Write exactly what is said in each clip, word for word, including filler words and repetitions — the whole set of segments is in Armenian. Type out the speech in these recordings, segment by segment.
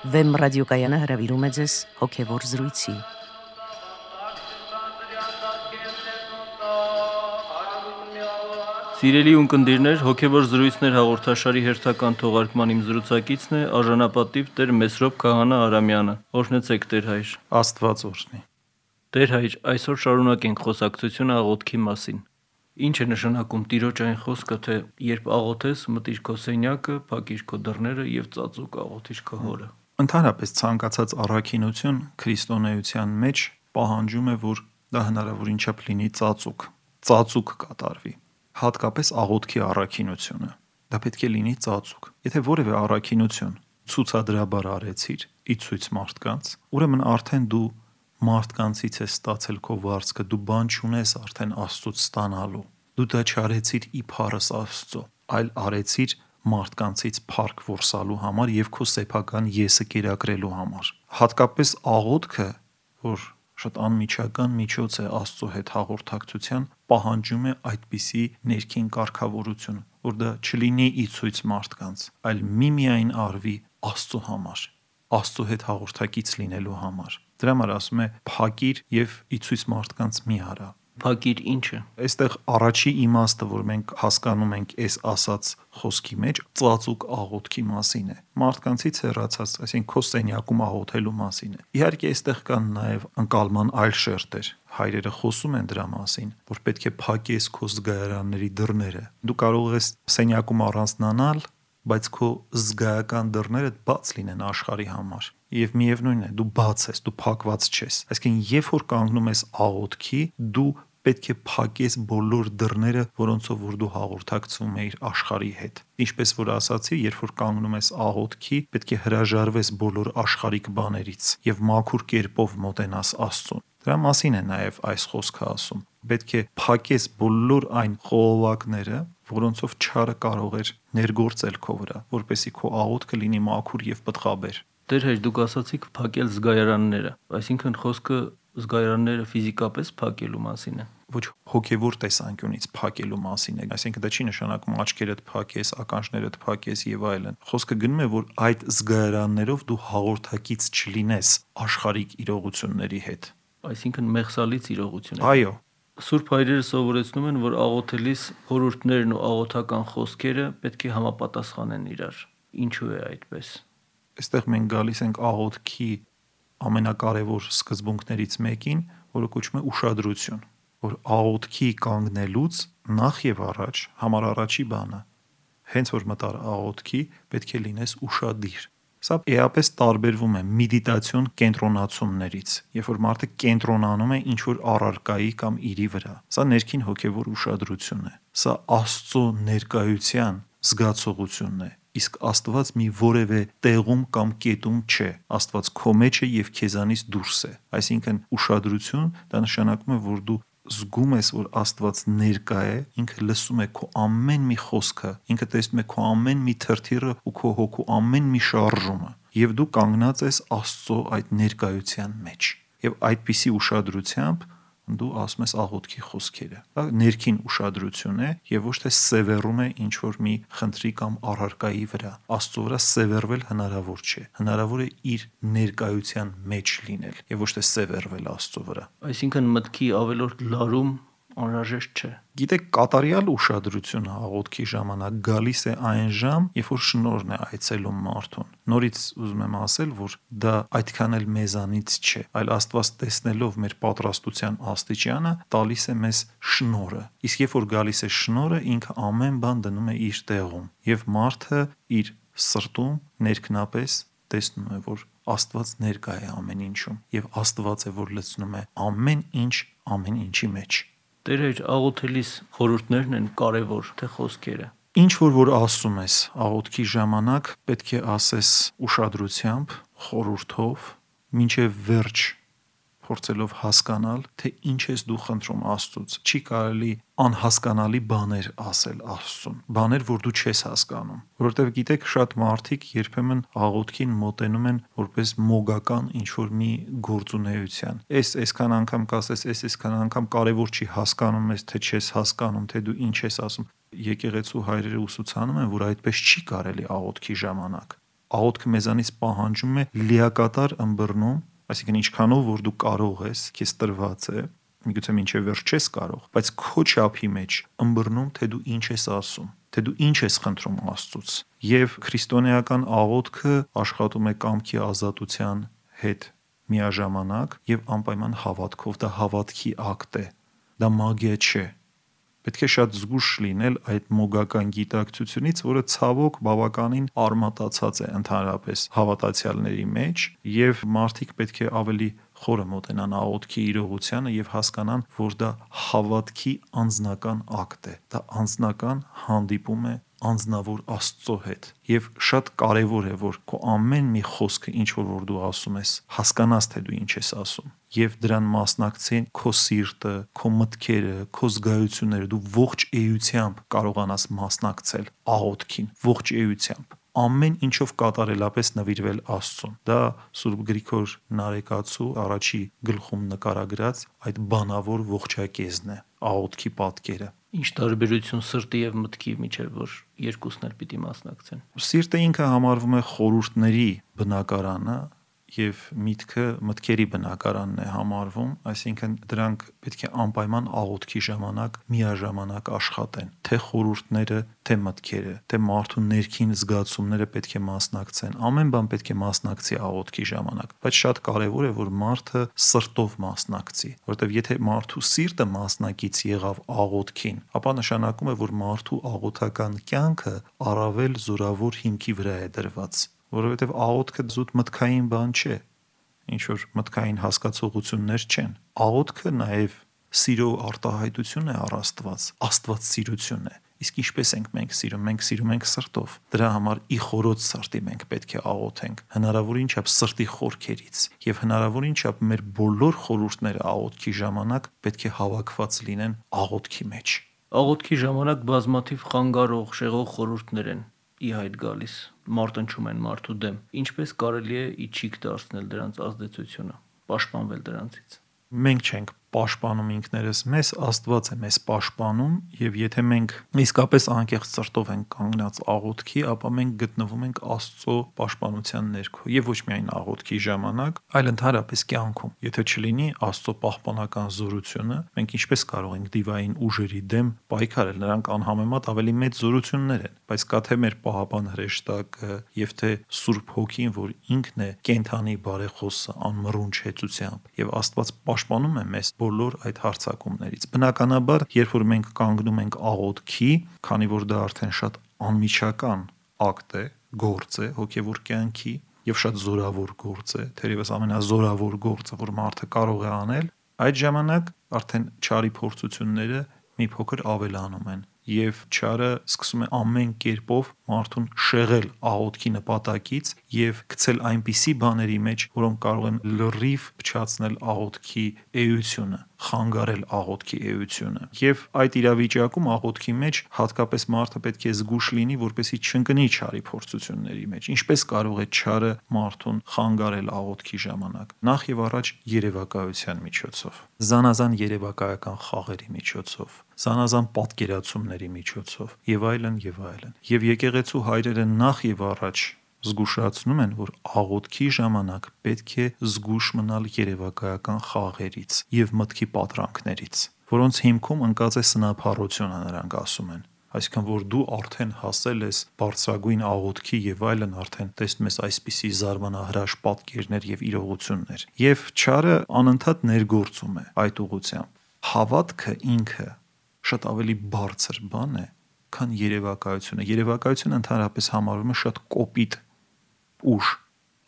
Վեմ ռադիոկայանը հրավիրում է ձեզ հոգևոր զրույցի։ Սիրելի ունկնդիրներ, հոգևոր զրույցներ հաղորդաշարի հերթական թողարկման իմ զրուցակիցն է արժանապատիվ Տեր Մեսրոպ Քահանա Արամյանը։ Օրհնեցեք Տեր հայր։ Աստված օրհնի։ Տեր հայր, այսօր շարունակենք խոսակցությունը աղոթքի մասին։ Ինչ է նշանակում Տիրոջ այն խոսքը, թե երբ աղոթես, մտիր քո սենյակը, փակիր քո դռները եւ ծածուկ աղոթիր քո հորը։ Ընդհանրապես ցանկացած առաքինություն քրիստոնեության մեջ պահանջում է, որ դա հնարավորին չափ լինի ծածուկ, ծածուկ կատարվի։ Հատկապես աղոթքի առաքինությունը։ Դա պետք է լինի ծածուկ։ Եթե որևէ առաքինություն ցուցադրաբար արեցիր, ի ցույց մարդկանց, ուրեմն արդեն դու մարդկանցից ես ստացել քո վարձքը, դու բան չունես արդեն Աստծուց ստանալու։ Դու դա չարեցիր իբարս Աստծո, այլ արեցիր մարդկանցից փառք որսալու համար եւ քո սեփական եսը կերակրելու համար։ Հատկապես աղոթքը, որ շատ անմիջական միջոց է Աստծո հետ հաղորդակցության, պահանջում է այդպիսի ներքին կարգավորություն, որ դա չլինի ի ցույց մարդկանց, այլ միմիայն արվի Աստծո համար, Աստծո հետ հաղորդակից լինելու համար։ Դրա համար ասում է փակիր եւ ի ցույց մարդկանց մի արա։ Փակիր ինչը։ Այստեղ առաջի իմաստը, որ մենք հասկանում ենք այս ասած խոսքի մեջ, ծածուկ աղոթքի մասին է։ Մարդկանցից հեռացած, այսինքն քո սենյակում աղոթելու մասին է։ Իհարկե, այստեղ կան նաև ընկալման այլ շերտեր։ Հայրերը խոսում են դրա մասին, որ պետք է փակես քո զգայարանների դռները։ Դու կարող ես սենյակում առանձնանալ, բայց քո զգայական դռները բաց լինեն աշխարհի համար։ Եվ միևնույնն է, դու բաց ես, դու փակված չես։ Այսինքն, երբ որ կանգնում ես աղոթքի, դու պետք է փակես բոլոր դռները, որոնցով որ դու հաղորդակցվում ես աշխարհի հետ։ Ինչպես որ ասացի, երբ որ կանգնում ես աղոթքի, պետք է հրաժարվես բոլոր աշխարհիկ բաներից եւ մաքուր կերպով մոտենաս Աստծուն։ Դրա մասին է նաև այս խոսքը ասում։ Պետք է փակես բոլոր այն խողովակները, որոնցով չարը կարող էր ներգործել քո վրա, որպեսզի քո աղոթքը լինի մաքուր եւ պտղաբեր։ Տեր հայր, դուք ասացիք փակել զգայարանները, այսինքն խոսքը զգայարանները ֆիզիկապես փակելու մասին է։ Ոչ հոգևոր տեսանկյունից փակելու մասին է, այսինքն դա չի նշանակում աչքերդ փակես, ականջներդ փակես եւ այլն։ Խոսքը գնում է, որ այդ զգայարաններով դու հաղորդակից չլինես աշխարհիկ իրողությունների հետ։ Այսինքն մեղսալից իրողություն է։ Այո։ Սուրբ հայրերը սովորեցնում են, որ աղոթելիս խորհուրդներն ու աղոթական խոսքերը պետք է համապատասխանեն իրար։ Ինչու է այդպես։ Այստեղ մենք գալիս ենք աղոթքի ամենակարևոր սկզբունքներից մեկին, որը կոչվում է ուշադրություն, որ աղոթքի կանգնելուց նախ եւ առաջ համար առաջի բանը, հենց որ մտար աղոթքի, պետք է լինես ուշադիր։ Սա էապես տարբերվում է մեդիտացիոն կենտրոնացումներից, երբ որ մարդը կենտրոնանում է ինչ-որ առարկայի կամ իրի վրա։ Սա ներքին հոգևոր ուշադրություն է։ Սա Աստծո ներկայության զգացողությունն է։ Իսկ Աստված մի որևէ տեղում կամ կետում չէ։ Աստված քո մեջ է եւ քեզանից դուրս է։ Այսինքն ուշադրություն դա նշանակում է, որ դու զգում ես, որ Աստված ներկա է, ինքը լսում է քո ամեն մի խոսքը, ինքը տեսնում է քո ամեն մի թրթիռը ու քո հոգու ամեն մի շարժումը, եւ դու կանգնած ես Աստծո այդ ներկայության մեջ։ Եվ այդպիսի ուշադրությամբ դու ասում ես աղոթքի խոսքերը։ Դա ներքին ուշադրություն է եւ ոչ թե սևեռում է ինչ որ մի խնդրի կամ առարկայի վրա։ Աստծո վրա սևեռվել հնարավոր չէ։ Հնարավոր է իր ներկայության մեջ լինել եւ ոչ թե սևեռվել Աստծո վրա։ Այսինքն մտքի ավելորդ լարում անհրաժեշտ չէ։ Գիտեք, կատարյալ ուշադրությունը աղոթքի ժամանակ գալիս է այն ժամ, երբ որ շնորհն է այցելում մարդուն։ Նորից ուզում եմ ասել, որ դա այդքան էլ մեզանից չէ, այլ Աստված տեսնելով մեր պատրաստության աստիճանը, տալիս է մեզ շնորհը։ Իսկ երբ որ գալիս է շնորհը, ինքը ամեն բան դնում է իր տեղում, եւ մարդը իր սրտում ներքնապես տեսնում է, որ Աստված ներկա է ամեն ինչում, եւ Աստված է, որ լցնում է ամեն ինչ ամեն ինչի մեջ։ Տեր հայր, աղոթելիս խորհուրդներն են կարևոր, թե խոսքերը։ Ինչ որ որ ասում ես աղոթքի ժամանակ, պետք է ասես ուշադրությամբ, խորհուրդով, մինչև վերջ փորձելով հասկանալ, թե ինչ ես դու խնդրում Աստծուց։ Չի կարելի անհասկանալի բաներ ասել Աստծուն, բաներ, որ դու չես հասկանում, որովհետև գիտեք, շատ մարդիկ երբեմն աղոթքին մոտենում են որպես մոգական ինչ-որ մի գործունեության։ Էս այսքան անգամ կասես, էս այսքան անգամ կարևոր չի, հասկանում ես, թե չես հասկանում, թե դու ինչ ես ասում։ Եկեղեցու հայրերը ուսուցանում են, որ այդպես չի կարելի աղոթքի ժամանակ։ աղոթքը մեզանից պահանջում է լիակատար ըմբռնում, այսինքն ինչքանով որ դու կարող ես, քեզ տրված է, միգուցե մինչև վերջ չես կարող, բայց քո չափի մեջ ըմբռնում, թե դու ինչ ես ասում, թե դու ինչ ես խնդրում Աստծուց։ Եվ քրիստոնեական աղոթքը աշխատում է կամքի ազատության հետ միաժամանակ եւ անպայման հավատքով, դա հավատքի ակտ է, դա մագիա չէ։ Պետք է շատ զգուշ լինել այդ մոգական գիտակցությունից, որը ցավոք բավականին արմատացած է ընդհանրապես հավատացյալների մեջ, եւ մարդիկ պետք է ավելի խորը մոտենան աղոթքի իրողությանը եւ հասկանան, որ դա հավատքի անձնական ակտ է, դա անձնական հանդիպում է անձնավոր Աստծո հետ, եւ շատ կարեւոր է, որ քո ամեն մի խոսքը, ինչ որ որ դու ասում ես, հասկանաս, թե դու ինչ ես ասում, եւ դրան մասնակցեն քո սիրտը, քո մտքերը, քո զգայությունները, դու ողջ էությամբ կարողանաս մասնակցել աղոթքին, ողջ էությամբ, ամեն ինչով կատարելապես նվիրվել Աստծուն։ Դա Սուրբ Գրիգոր Նարեկացու առաջի գլխում նկարագրած այդ բանավոր ողջակեզն է, աղոթքի պատկերը։ Ինչ տարբերություն սրտի եւ մտքի միջեւ, որ երկուսն էլ պիտի մասնակցեն։ Սիրտը ինքը համարվում է խորհուրդների բնակարանը եւ միտքը մտքերի բնակարանն է համարվում, այսինքն դրանք պետք է անպայման աղոթքի ժամանակ միաժամանակ աշխատեն, թե խորհուրդները, թե մտքերը, թե մարդու ներքին զգացումները պետք է մասնակցեն, ամեն բան պետք է մասնակցի աղոթքի ժամանակ, բայց շատ կարեւոր է, որ մարդը սրտով մասնակցի, որովհետեւ եթե մարդու սիրտը մասնակից եղավ աղոթքին, ապա նշանակում է, որ մարդու աղոթական կյանքը առավել զորավոր հիմքի վրա է դրված, որովհետև աղոթքը զուտ մտքային բան չէ, ինչ որ մտքային հասկացողություններ չեն։ Աղոթքը նաև սիրո արտահայտություն է առ Աստված, աստվածսիրություն է։ Իսկ ինչպես ենք մենք սիրում, մենք սիրում ենք սրտով։ Դրա համար ի խորոց սրտի մենք պետք է աղոթենք, հնարավորին չափ սրտի խորքերից, եւ հնարավորին չափ մեր բոլոր խորհուրդները աղոթքի ժամանակ պետք է հավաքված լինեն աղոթքի մեջ։ Աղոթքի ժամանակ բազմաթիվ խանգարող, շեղող խորհուրդներ են ի հայտ գալիս, մարտնչում են մարդու դեմ։ Ինչպես կարելի է իջիկ դարձնել դրանց ազդեցությունը, պաշտպանվել դրանցից։ Մենք չենք պաշտպանում ինքներս մեզ, Աստված է մեզ պաշտպանում, եւ եթե մենք իսկապես անկեղծ սրտով ենք կանգնած աղոթքի, ապա մենք գտնվում ենք Աստծո պաշտպանության ներքո եւ ոչ միայն աղոթքի ժամանակ, այլ ընդհանրապես կյանքում։ Եթե չլինի Աստծո պահպանական զորությունը, մենք ինչպես կարող ենք դիվային ուժերի դեմ պայքարել, նրանք անհամեմատ ավելի մեծ զորություններ են, բայց կա թե մեր պահապան հրեշտակը եւ թե Սուրբ Հոգին, որ ինքն է կենթանի բարեխոսը անմռունչ հեծությամբ, եւ Աստված պաշտպանում է մեզ բոլոր այդ հարձակումներից։ Բնականաբար, երբ որ մենք կանգնում ենք աղոթքի, քանի որ դա արդեն շատ անմիջական ակտ է, գործ է հոգևոր կյանքի եւ շատ զորավոր գործ է, թերևս ամենազորավոր գործը, որ մարդը կարող է անել, այդ ժամանակ արդեն չարի փորձությունները մի փոքր ավելանում են եւ չարը սկսում է ամեն կերպով մարդուն շեղել աղոթքի նպատակից եւ գցել այնպիսի բաների մեջ, որոնք կարող են լրիվ փչացնել աղոթքի էությունը, խանգարել աղոթքի էությունը։ Եվ այդ իրավիճակում աղոթքի մեջ հատկապես մարդը պետք է զգուշ լինի, որպեսզի չընկնի չարի փորձությունների մեջ։ Ինչպես կարող է չարը մարդուն խանգարել աղոթքի ժամանակ։ Նախ եւ առաջ երևակայության միջոցով, զանազան երևակայական խաղերի միջոցով, զանազան պատկերացումների միջոցով եւ այլն եւ այլն։ Եվ եկեղեցու հայրերը նախ եւ առաջ զգուշացնում են, որ աղոթքի ժամանակ պետք է զգուշ մնալ երևակայական խաղերից եւ մտքի պատրանքներից, որոնց հիմքում ընկած է սնափառությունը, նրանք ասում են։ Այսինքն, որ դու արդեն հասել ես բարձրագույն աղոթքի եւ այլն, արդեն տեսնում ես այսպիսի զարմանահրաշ պատկերներ եւ իրողություններ։ Եվ չարը անընդհատ ներգործում է այդ ուղղությամբ։ Հավատքը ինքը շատ ավելի բարձր բան է, քան երևակայությունը։ Երևակայությունը ընդհանրապես համարվում է շատ կոպիտ ուժ։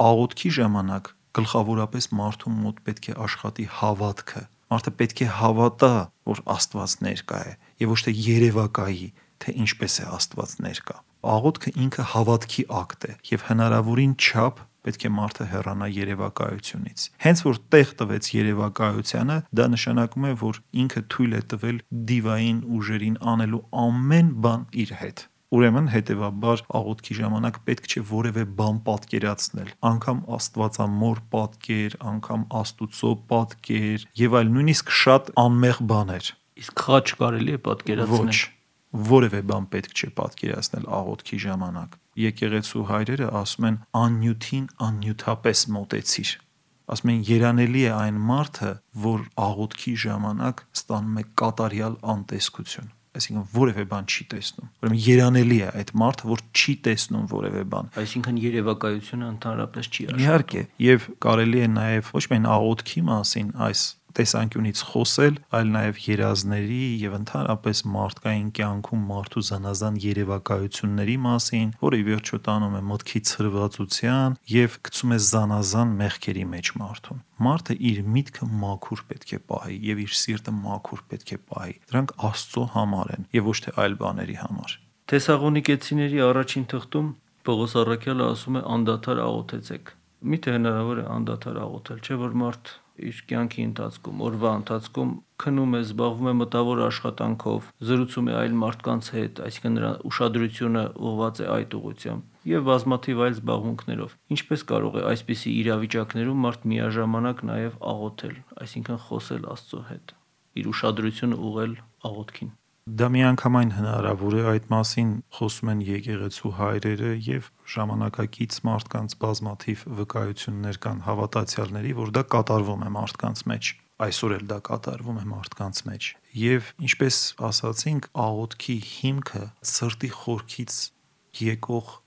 Աղոթքի ժամանակ գլխավորապես մարդու մոտ պետք է աշխատի հավատքը։ Մարդը պետք է հավատա, որ Աստված ներկա է, եւ ոչ թե երևակայի, թե ինչպես է Աստված ներկա։ Աղոթքը ինքը հավատքի ակտ է եւ հնարավորին չափ պետք է մարդը հեռանա երևակայությունից։ Հենց որ տեղ տվեց երևակայությանը, դա նշանակում է, որ ինքը թույլ է տվել դիվային ուժերին անելու ամեն բան իր հետ։ Ուրեմն հետևաբար աղոթքի ժամանակ պետք չէ որևէ բան պատկերացնել, անգամ Աստվածամոր պատկեր, անգամ Աստուծո պատկեր եւ այլ, նույնիսկ շատ անմեղ բաներ։ Իսկ խաչ կարելի է պատկերացնել։ Ոչ, որևէ բան պետք չէ պատկերացնել աղոթքի ժամանակ։ Եկեղեցու հայրերը ասում են աննյութին աննյութապես մոտեցիր։ Ասում են երանելի է այն մարդը, որ աղոթքի ժամանակ ստանում է կատարյալ անտեսկություն, այսինքն որևէ բան չի տեսնում։ Ուրեմն երանելի է այդ մարդը, որ չի տեսնում որևէ բան։ Այսինքն երևակայությունը ընդհանրապես չի աշխատում։ Իհարկե, եւ կարելի է նաեւ ոչ միայն աղոթքի մասին այս տեսանկյունից խոսել, այլ նաև երազների եւ ընդհանրապես մարդկային կյանքում մարդու զանազան երևակայությունների մասին, որը ի վերջո տանում է մտքի ցրվածության եւ գցում է զանազան մեղքերի մեջ մարդուն։ Մարդը իր միտքը մաքուր պետք է պահի եւ իր սիրտը մաքուր պետք է պահի։ Դրանք Աստծո համար են եւ ոչ թե այլ բաների համար։ Թեսաղոնիկեցիների առաջին թղթում Պողոս առաքյալը ասում է անդադար աղոթեցեք։ Միթե հնարավոր է անդադար աղոթել, չէ՞ որ մարդ իր կյանքի ընթացքում, օրվա ընթացքում քնում է, զբաղվում է մտավոր աշխատանքով, զրուցում է այլ մարդկանց հետ, այսինքն նրա ուշադրությունը ուղղված է այդ ուղղությամբ եւ բազմաթիվ այլ զբաղմունքներով։ Ինչպես կարող է այսպիսի իրավիճակներում մարդ միաժամանակ նաեւ աղոթել, այսինքն խոսել Աստծո հետ, իր ուշադրությունը ուղղել աղոթքին։ Դա միանգամայն հնարավոր է, այդ մասին խոսում են եկեղեցու հայրերը եւ ժամանակակից մարդկանց բազմաթիվ վկայություններ կան հավատացյալների, որ դա կատարվում է մարդկանց մեջ։ Այսօր էլ դա կատարվում է մարդկանց մեջ։ Եվ ինչպես ասացինք, աղոթքի հիմքը սրտի խորքից եկող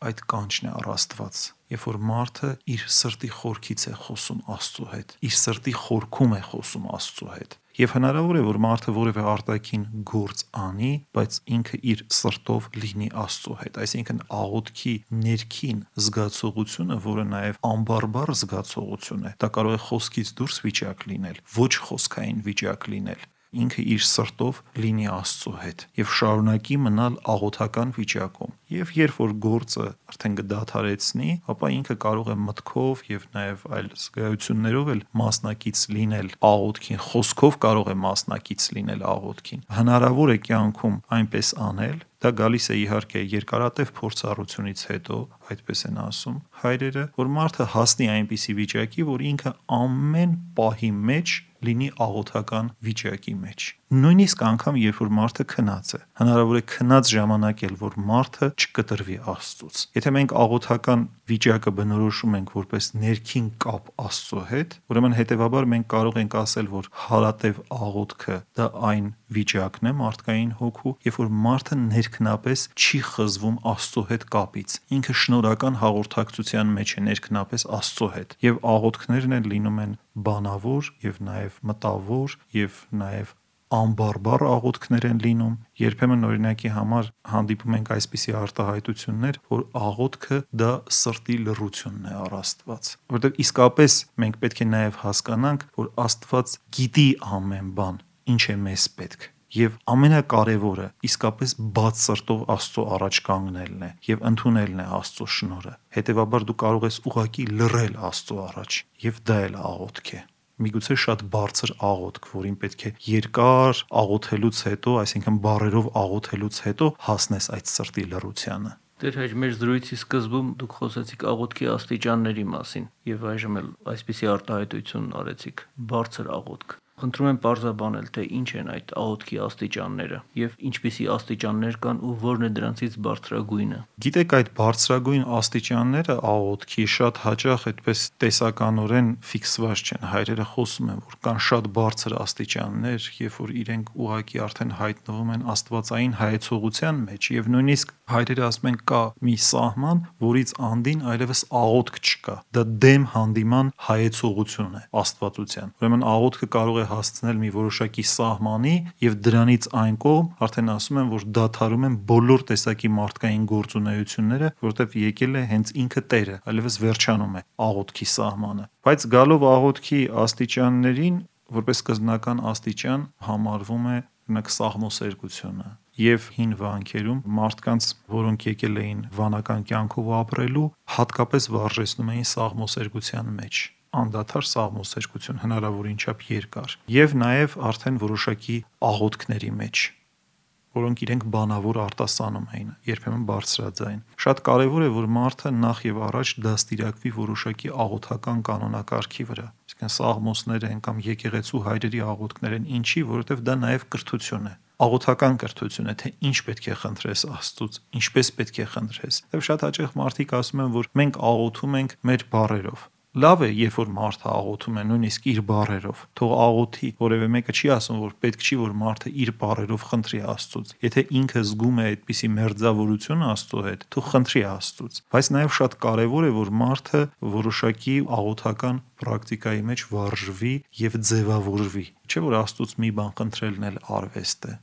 այդ կանչն է առ Աստված։ Երբ որ մարդը իր սրտի խորքից է խոսում Աստծո հետ, իր սրտի խորքում է խոսում Աստծո հետ։ Եվ հնարավոր է, որ մարդը որևէ արտաքին գործ անի, բայց ինքը իր սրտով լինի Աստծո հետ, այսինքն աղոթքի ներքին զգացողությունը, որը նաև անբարբար զգացողություն է, դա կարող է խոսքից դուրս վիճակ լինել, ոչ խոսքային վիճակ լինել, ինքը իր սրտով լինի Աստծո հետ եւ շարունակի մնալ աղոթական վիճակում։ Եվ երբ որ գործը արդեն կդադարեցնի, ապա ինքը կարող է մտքով եւ նաեւ այլ զգայություններով էլ մասնակից լինել աղոթքին, խոսքով կարող է մասնակից լինել աղոթքին։ Հնարավոր է կյանքում այնպես անել, դա գալիս է իհարկե երկարատև փորձառությունից հետո, այդպես են ասում հայրերը, որ մարդը հասնի այնպիսի վիճակի, որ ինքը ամեն պահի մեջ լինի աղոթական վիճակի մեջ։ Նույնիսկ անգամ երբ որ մարդը քնած է, հնարավոր է քնած ժամանակ էլ որ մարդը չկտրվի Աստծուց։ Եթե մենք աղոթական վիճակը բնորոշում ենք որպես ներքին կապ Աստծո հետ, ուրեմն հետեւաբար մենք կարող ենք ասել, որ հարատև աղոթքը դա այն վիճակն է մարդկային հոգու, երբ որ մարդը ներքնապես չի խզվում Աստծո հետ կապից։ Ինքը շնորհական հաղորդակցության մեջ է ներքնապես Աստծո հետ, եւ աղոթքներն են լինում են բանավոր եւ նաեւ մտավոր եւ նաեւ անբարբար աղոթքներ են լինում։ Երբեմն օրինակի համար հանդիպում ենք այսպիսի արտահայտություններ, որ աղոթքը դա սրտի լռությունն է առ Աստված, որովհետև իսկապես մենք պետք է նաև հասկանանք, որ Աստված գիտի ամեն բան, ինչ է մեզ պետք։ Եվ ամենակարևորը իսկապես բաց սրտով Աստծո առաջ կանգնելն է եւ ընդունելն է Աստծո շնորհը։ Հետևաբար դու կարող ես ուղակի լռել Աստծո առաջ, եւ դա էլ աղոթք է։ Միգուցե շատ բարձր աղոթք, որին պետք է երկար աղոթելուց հետո, այսինքն բառերով աղոթելուց հետո հասնես այդ սրտի լռությանը։ Դեր հայր մեր զրույցի սկզբում դուք խոսեցիք աղոթքի աստիճանների մասին եւ այժմ էլ այսպիսի արտահայտություն արեցիք՝ բարձր աղոթք։ Խնդրում եմ պարզաբանել, թե ինչ են այդ աղոթքի աստիճանները եւ ինչպիսի աստիճաններ կան ու որն է դրանցից բարձրագույնը։ Գիտեք, այդ բարձրագույն աստիճանները աղոթքի շատ հաճախ այդպես տեսականորեն ֆիքսված չեն։ Հայրերը խոսում են, որ կան շատ բարձր աստիճաններ, երբ որ իրենք ուղակի արդեն հայտնվում են աստվածային հայեցողության մեջ եւ նույնիսկ հայրերը ասում են կա մի սահման, որից անդին այլևս աղոթք չկա։ Դա դեմ հանդիման հայեցողություն է աստվածության։ Ուրեմն աղոթքը կարող է հասցնել մի որոշակի սահմանի եւ դրանից այն կողմ արդեն ասում են, որ դադարում են բոլոր տեսակի մարդկային գործունեությունները, որովհետեւ եկել է հենց ինքը Տերը, այլևս վերջանում է աղոթքի սահմանը։ Բայց գալով աղոթքի աստիճաններին, որպես սկզբնական աստիճան համարվում է օրինակ սաղմոսերգությունը եւ հին վանքերում մարդկանց, որոնք եկել էին վանական կյանքով ապրելու, հատկապես վարժեցնում էին սաղմոսերգության մեջ։ Անդադար սաղմոսերգություն հնարավորին չափ երկար եւ նաեւ արդեն որոշակի աղոթքների մեջ, որոնք իրենք բանավոր արտասանում էին, երբեմն բարձրաձայն։ Շատ կարեւոր է, որ մարդը նախ եւ առաջ դաստիարակվի որոշակի աղոթական կանոնակարգի վրա։ Այսինքն սաղմոսներ են կամ եկեղեցու հայրերի աղոթքներ են, ինչի, որովհետեւ դա նաեւ կրթություն է։ աղոթական կրթությունը, թե ինչ պետք է խնդրես Աստծուց, ինչպես պետք է խնդրես։ Եվ շատ հաճախ մարդիկ ասում են, որ մենք աղոթում ենք մեր բառերով։ Լավ է, երբ որ մարդը աղոթում է նույնիսկ իր բառերով, թող աղոթի, որևէ մեկը չի ասում, որ պետք չի, որ մարդը իր բառերով խնդրի Աստծուց։ Եթե ինքը զգում է այդպիսի մերձավորություն Աստծո հետ, թող խնդրի Աստծուց։ Բայց նաև շատ կարևոր է, որ մարդը որոշակի աղոթական պրակտիկայի մեջ վարժվի եւ ձևավորվի։ Չէ՞ որ Աստծուց մի բան խնդրելն էլ արվեստ է։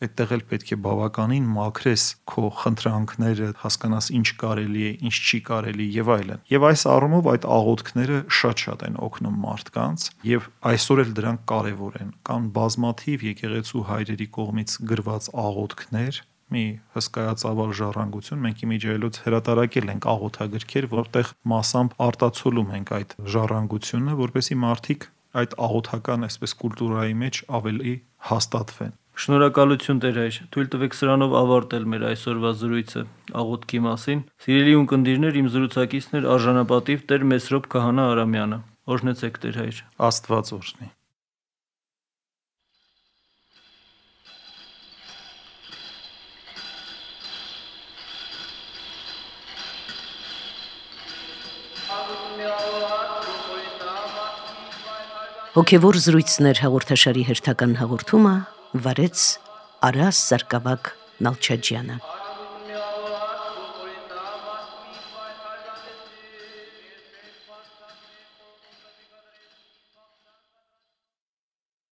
Այդտեղ էլ պետք է բավականին մաքրես քո խնդրանքները, հասկանաս ինչ կարելի է, ինչ չի կարելի եւ այլն։ Եվ այս առումով այդ աղոթքները շատ-շատ են օգնում մարդկանց եւ այսօր էլ դրանք կարեւոր են։ Կան բազմաթիվ եկեղեցու հայրերի կողմից գրված աղոթքներ, մի հսկայածավալ ժառանգություն, մենք իմիջիայլոց հրատարակել ենք աղոթագրքեր, որտեղ մասամբ արտացոլում ենք այդ ժառանգությունը, որպեսզի մարդիկ այդ աղոթական այսպես կուլտուրայի մեջ ավելի հաստատվեն։ Շնորհակալություն Տեր հայր, թույլ տվեք սրանով ավարտել մեր այսօրվա զրույցը աղոթքի մասին։ Սիրելի ունկնդիրներ, իմ զրուցակիցն էր արժանապատիվ Տեր Մեսրոպ Քահանա Արամյանը։ Օրհնեցեք Տեր հայր։ Աստված օրհնի։ Հոգևոր զրույցներ հաղորդաշարի հերթական հաղորդումը վարեց Արաս Սարգսակ Նալչաջյանը։